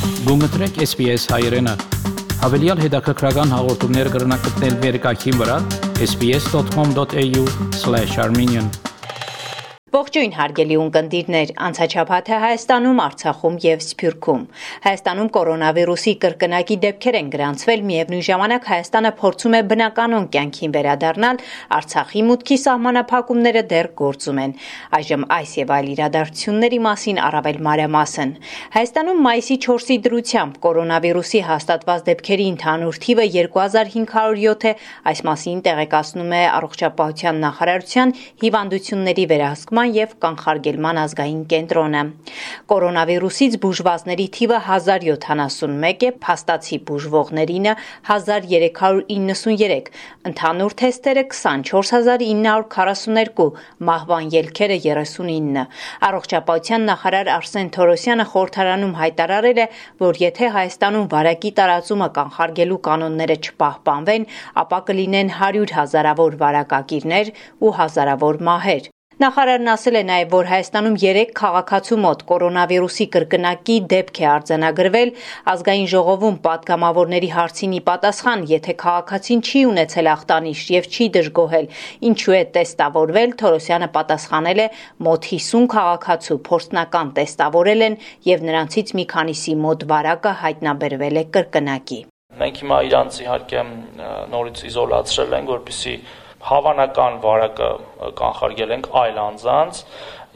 Գումտրեք SPS հայրենը, հավելյալ հետաքրքրական հաղորդումներ կրնակցնել վերկայքին վրա sbs.com.au/armenian Ողջույն հարգելի ունկնդիրներ, անցաչափաթը Հայաստանում, Արցախում եւ Սփյուռքում։ Հայաստանում կորոնավիրուսի կրկնակի դեպքեր են գրանցվել, միևնույն ժամանակ Հայաստանը փորձում է բնականon կյանքին վերադառնալ, Արցախի մուտքի սահմանափակումները դեռ գործում են։ Այժմ այս եւ այլ իրադարձությունների մասին առավել մանրամասն։ Հայաստանում մայիսի 4-ի դրությամբ կորոնավիրուսի հաստատված դեպքերի ընդհանուր թիվը 2507 է, այս մասին տեղեկացնում է Առողջապահության նախարարության հիվանդությունների վերահսկման եւ կանխարգելման ազգային կենտրոնը։ Կորոնավիրուսից բուժվածների թիվը 1071 է, փաստացի բուժվողներինը 1393, ընդհանուր թեստերը 24942, մահվան ելքերը 39։ Առողջապահության նախարար Արսեն Թորոսյանը խորհրդարանում հայտարարել է, որ եթե Հայաստանում վարակի տարածումը կանխարգելու կանոնները չպահպանվեն, ապա կլինեն 100 հազարավոր վարակակիրներ ու հազարավոր մահեր։ Նախարարն ասել է նաև, որ Հայաստանում 3 քաղաքացու մոտ կորոնավիրուսի կրկնակի դեպք է արձանագրվել, ազգային ժողովում պատգամավորների հարցին ի պատասխան, եթե քաղաքացին չի ունեցել ախտանիշ եւ չի դժգոհել, ինչու է տեստավորվել, Թորոսյանը պատասխանել է, մոտ 50 քաղաքացու փորձնական տեստավորել են եւ նրանցից մի քանիսի մոտ վարակը հայտնաբերվել է կրկնակի։ Մենք հիմա իրանց իհարկե նորից իզոլացրել ենք, որպեսզի հավանական վարակը կանխարգելենք այլ անձանց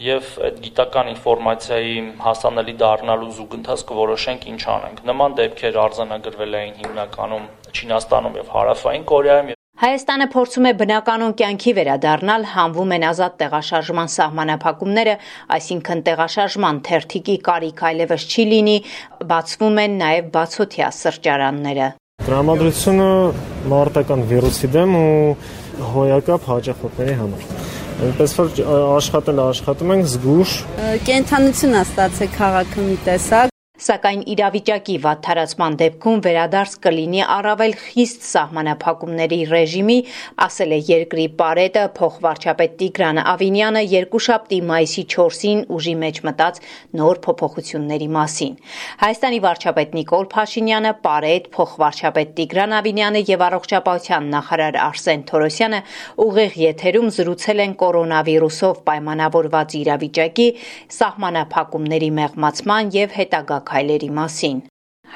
եւ այդ գիտական ինֆորմացիայի հասանելի դառնալու զուգընթաց կորոշենք ինչ անենք։ Նման դեպքեր արձանագրվել էին հիմնականում Չինաստանում եւ Հարավային Կորեայում։ Հայաստանը փորձում է բնականon կյանքի վերադառնալ, հանվում են ազատ տեղաշարժման սահմանափակումները, այսինքն տեղաշարժման թերթիկի կարիք այլևս չի լինի, բացվում են նաև բացօթյա սրճարանները։ Տրամադրությունը մարտական վիրուսի դեմ ու հոյակապ հաճախորդների համար։ Այնպես որ աշխատում ենք զգուշ։ Կենթանություն է ստացել քաղաքը մի տեսակ։ Սակայն իրավիճակի վատթարացման դեպքում վերադարձ կլինի առավել խիստ սահմանափակումների ռեժիմի, ասել է երկրի պարետը փոխվարչապետ Տիգրան Ավինյանը երկուշաբթի մայիսի 4-ին ուժի մեջ մտած նոր փոփոխությունների մասին։ Հայաստանի վարչապետ Նիկոլ Փաշինյանը, պարետ, փոխվարչապետ Տիգրան Ավինյանը եւ առողջապահության նախարար Արսեն Թորոսյանը ուղիղ եթերում զրուցել են կորոնավիրուսով պայմանավորված իրավիճակի, սահմանափակումների մեղմացման եւ հետագա քայլերի մասին։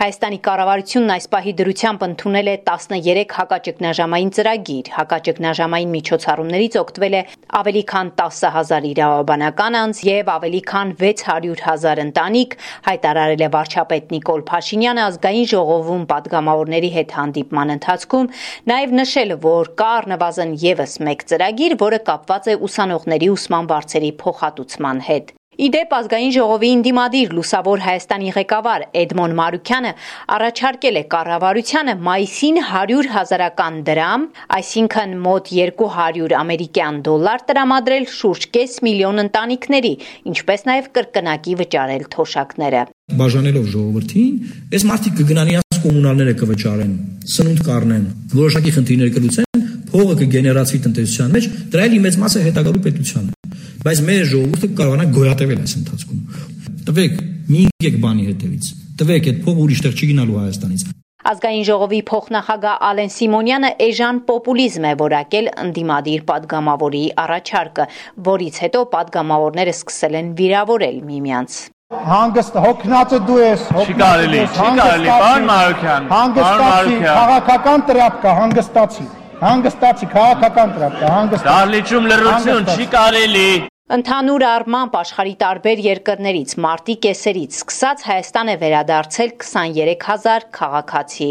Հայաստանի կառավարությունն այս պահի դրությամբ ընդունել է 13 հակաճգնաժամային ծրագիր, հակաճգնաժամային միջոցառումներից օգտվել է ավելի քան 10,000 իրավաբանական անձ եւ ավելի քան 600,000 ընտանիք, հայտարարել է վարչապետ Նիկոլ Փաշինյանը ազգային ժողովում պատգամավորների հետ հանդիպման ընթացքում, նաեւ նշել, որ կա առնվազն եւս մեկ ծրագիր, որը կապված է ուսանողների ուսման վարձերի փոխհատուցման հետ։ Իդեպ ազգային ժողովի ընդդիմադիր Լուսավոր Հայաստանի ղեկավար Էդմոն Մարուկյանը առաջարկել է կառավարությանը մայիսին 100,000 դրամ, այսինքն մոտ 200 ամերիկյան դոլար տրամադրել շուրջ կես միլիոն ընտանիքների, ինչպես նաև կրկնակի վճարել թոշակները։ Բաժանելով ժողովրդին, այս մարդիկ կգնան իրենց կոմունալները կվճարեն, սնունդ կառնեն, որոշակի խնդիրներ կլուծեն, փողը կգեներացվի տնտեսության մեջ, դրա էլի մեծ մասը հետագալու պետությանը։ Բայց մեր ժողովուրդը կարողանա գոյատևել այս ընթացքում։ Տվեք, մի եկեք բանի հետևից։ Տվեք, այդ փողը ուրիշ տեղ չի գնալու Հայաստանից։ Ազգային ժողովի փոխնախագահ Ալեն Սիմոնյանը էժան պոպուլիզմ է որակել ընդդիմադիր պատգամավորի առաջարկը, որից հետո պատգամավորները սկսել են վիրավորել միմյանց։ Հանգստ հոգնածը դու ես, Չի կարելի, պարոն Մարուկյան, հանգստացի, քաղաքական տրապկա, հանգստացի, քաղաքական տրապկա, հանգստացի։ Դահլիճում լռություն, չի կարելի։ Ընդհանուր առմամբ աշխարհի տարբեր երկրներից մարտի կեսերից սկսած Հայաստան է վերադարձել 23,000 քաղաքացի։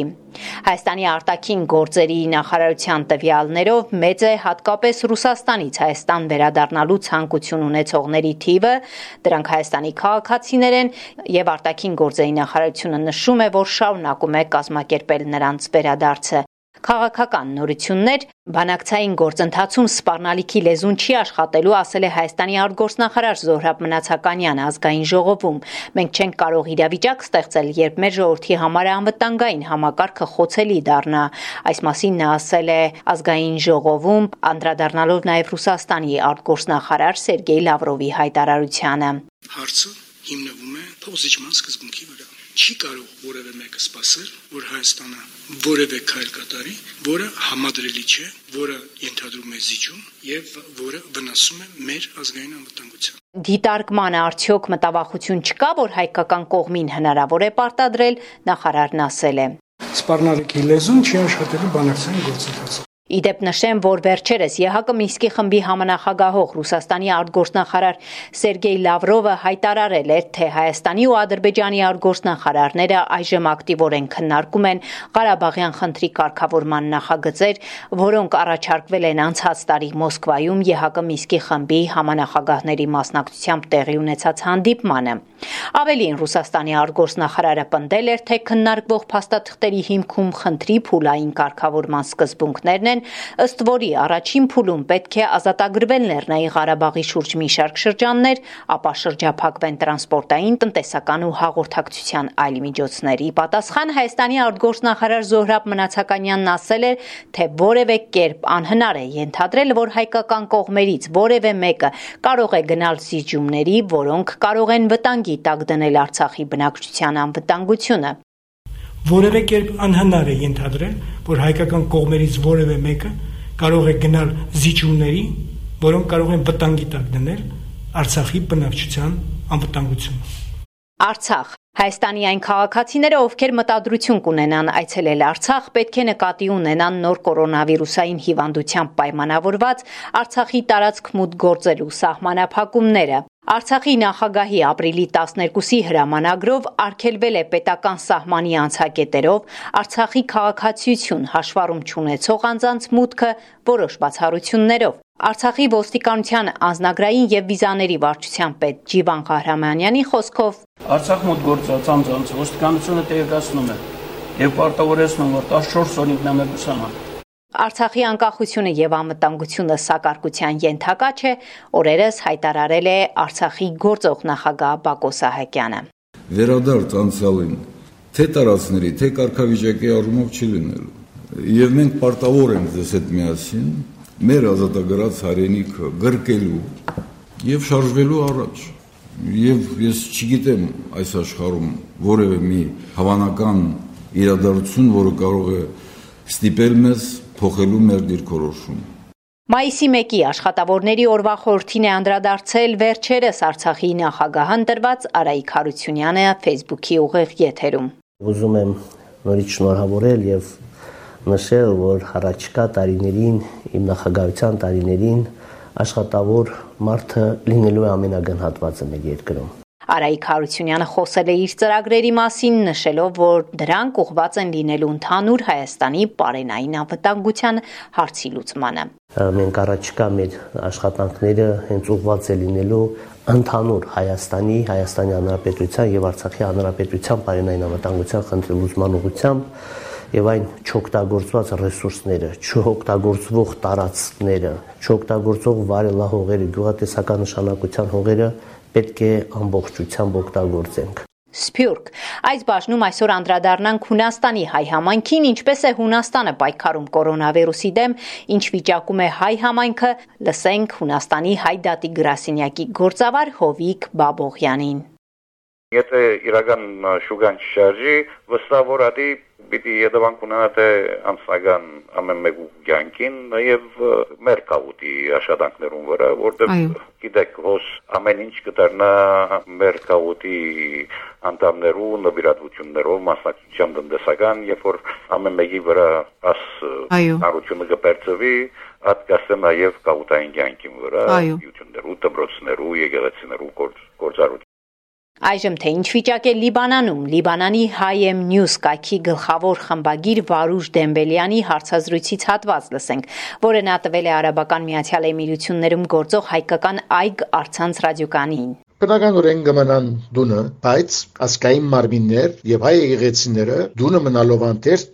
Հայաստանի արտաքին գործերի նախարարության տվյալներով մեծ է հատկապես Ռուսաստանից Հայաստան վերադառնալու ցանկություն ունեցողների թիվը, դրանք Հայաստանի քաղաքացիներ են եւ արտաքին գործերի նախարարությունը նշում է, որ շարունակում է կազմակերպել նրանց վերադարձը։ Քաղաքական նորություններ, բանակցային գործընթացում սպառնալիքի լեզուն չի աշխատելու, ասել է Հայաստանի արտգործնախարար Զոհրաբ Մնացականյանը ազգային ժողովում։ Մենք չենք կարող իրավիճակ ստեղծել, երբ մեր ժողովրդի համար անվտանգային համակարգը խոցելի դառնա։ Այս մասին նա ասել է ազգային ժողովում, անդրադառնալով նաև Ռուսաստանի արտգործնախարար Սերգեյ Լավրովի հայտարարությանը։ Հարցը հիմնվում է փոխզիջման սկզբունքի վրա։ չի կարող որևէ մեկը սպասել, որ Հայաստանը որևէ քայլ կատարի, որը համադրելի չէ, որը ենթադրում է զիջում եւ որը վնասում է մեր ազգային անվտանգությանը։ Դիտարկմանը արդյոք մտավախություն չկա, որ հայկական կողմին հնարավոր է պարտադրել, նախարարն ասել է. Սպառնալիքի լեզուն չի աշխատելու բանակցային գործընթացը։ Իդեպ նշեմ, որ վերջերս ԵՀԿ Մինսկի խմբի համանախագահող Ռուսաստանի արտգործնախարար Սերգեյ Լավրովը հայտարարել էր, թե Հայաստանի ու Ադրբեջանի արտգործնախարարները այժմ ակտիվորեն քննարկում են Ղարաբաղյան խնդրի կարգավորման նախագծեր, որոնք առաջարկվել են անցած տարի Մոսկվայում ԵՀԿ Մինսկի խմբի համանախագահների մասնակցությամբ տեղի ունեցած հանդիպմանը։ Ավելին, Ռուսաստանի արտգործնախարարը պնդել էր, թե քննարկվող փաստաթղթերի հիմքում խնդրի փուլային կարգավորման սկզբունքներն են, ըստ որի առաջին փուլում պետք է ազատագրվել Լեռնային Ղարաբաղի շուրջ մի շարք շրջաններ, ապա շրջափակվեն տրանսպորտային, տնտեսական ու հաղորդակցության այլ միջոցներ։ Ի պատասխան Հայաստանի արտգործնախարար Զոհրաբ Մնացականյանն ասել էր, թե որևէ կերպ անհնար է ենթադրել, որ հայկական կողմերից որևէ մեկը կարող է գնալ զիջումների, որոնք կարող են վտանգի տակ դնել Արցախի բնակչության անվտանգությունը։ Որևէ կերպ անհնար է ենթադրել, որ հայկական կողմերից որևէ մեկը կարող է գնալ զիջումների, որոնք կարող են վտանգի տակ դնել Արցախի բնակչության անվտանգությունը։ Արցախ Հայաստանի այն քաղաքացիները, ովքեր մտադրություն կունենան այցելել Արցախ, պետք է նկատի ունենան նոր կորոնավիրուսային հիվանդությամբ պայմանավորված Արցախի տարածք մուտք գործելու սահմանափակումները։ Արցախի նախագահի ապրիլի 12-ի հրամանագրով արգելվել է պետական սահմանի անցակետերով Արցախի քաղաքացիություն հաշվառում չունեցող անձանց մուտքը որոշ բացառություններով։ Արցախի ոստիկանության անձնագրային եւ վիզաների վարչության պետ Ջիվան Ղահրամանյանի խոսքով Արցախ մոտ գործած անձանց ոստիկանությունը տեղեկացնում է եւ պարտավորեցնում, որ 14 օրինք նամակուսանան։ Արցախի անկախությունը եւ անվտանգությունը սակարկության ենթակա չէ, օրերս հայտարարել է Արցախի գործող նախագահ Բակո Սահակյանը։ Վերադարձ անցյալին թե տարածքների, թե կարգավիճակի առումով չի լինելու։ Եվ մենք պարտավոր ենք ձեզ հետ միասին մեր ազատագրած հայրենիքը գրկելու եւ շարժվելու առաջ։ Եվ ես չգիտեմ այս աշխարհում որևէ մի հավանական իրադարձություն, որը կարող է ստիպել մեզ փոխելու մեր դիրքորոշումը։ Մայիսի 1-ի աշխատավորների օրվա խորհրդին է անդրադարձել վերջերս Արցախի նախագահան տրված Արայիկ Հարությունյանը Facebook-ի ուղիղ եթերում։ Ուզում եմ նորից շնորհավորել եւ նշել, որ առաջիկա տարիներին, իմ նախագահության տարիներին աշխատավոր մարդը լինելու է ամենագնահատվածը մեր երկրում։ Արայիկ Հարությունյանը խոսել է իր ծրագրերի մասին, նշելով, որ դրանք ուղղված են լինելու ընդհանուր Հայաստանի պարենային անվտանգության հարցի լուծմանը։ Մենք առաջիկա մեր աշխատանքները հենց ուղղված է լինելու ընդհանուր Հայաստանի Հանրապետության եւ Արցախի Հանրապետության պարենային անվտանգության խնդրի լուծման ուղղությամբ եւ այն չօգտագործված ռեսուրսները, չօգտագործվող տարածքները, չօգտագործող վարելահողերը, գյուղատնտեսական նշանակության հողերը պետք է ամբողջությամբ օգտագործենք։ Սփյուռք այս բաժնում այսօր անդրադառնանք Հունաստանի հայ համայնքին, ինչպես է Հունաստանը պայքարում կորոնավիրուսի դեմ, ինչ վիճակում է հայ համայնքը, լսենք Հունաստանի հայ դատի գրասենյակի գործավար Հովիկ Բաբողյանին։ Եթե իրական շուգան չշարժի, վստահ որ ադի պիտի հետևանք ունենա թե անձնական ամեն մեկու կյանքին եւ մեր կավուտի աշխատանքներուն վրա, որտեղ գիտեք, ոս ամեն ինչ կդառնա մեր կավուտի անդամներու նվիրատվություններով մասնակցությամբ տնտեսական, երբ որ ամեն մեկի վրա աս հարությունը կբերծվի, ատկասը նաեւ կավուտային կյանքին վրա, յութուններու, դպրոցներու, եկեղեցիներու գործառույթ։ Այժմ թե ինչ վիճակ է Լիբանանում, Լիբանանի Hayem News կայքի գլխավոր խմբագիր Վարուժ Դեմբելյանի հարցազրույցից հատված լսենք, որը նա տվել է Արաբական Միացյալ Էմիրություններում գործող հայկական Այգ առցանց ռադիոկանին։ Բնականորեն կմնան դունը, բայց ասկային մարմիններ եւ հայ եկեղեցիները դունը մնալով անտեր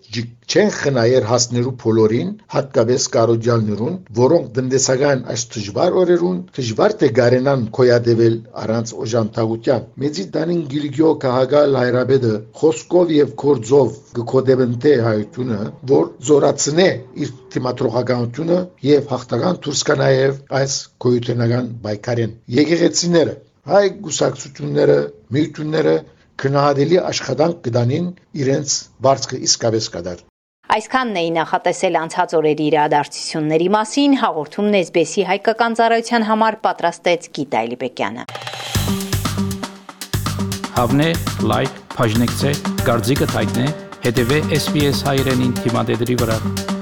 չեն խնայեր հասներու բոլորին, հատկապես կարոջալներուն, որոնք տնտեսական այս դժվար օրերուն դժվար թե գարենան կոյադեվել առանց օժանդակության։ Մեծի դանին Գիլգիո Կահագալ հայրաբեդը խոսքով եւ կորձով գկոդեբնտե հայությունը, որ զորացնե իր թիմատրողականությունը եւ հաղթական դուրս կա նաեւ այս գոյութենական բայկարեն։ Եկեղեցիները հայ գուսակցությունները, միությունները քնահատելի աշխատանք կդանին իրենց բարձկը իսկապես կդար։ Այսքանն էի նախատեսել անցած օրերի իրադարձությունների մասին, հաղորդումն SBS-ի հայկական ծառայության համար պատրաստեց Գիտա Էլիբեկյանը։ Հավնե, լայք, բաժնեկցե, դարձիկը թայտնե, հետևե SBS հայրենին թիմադեդի վրա։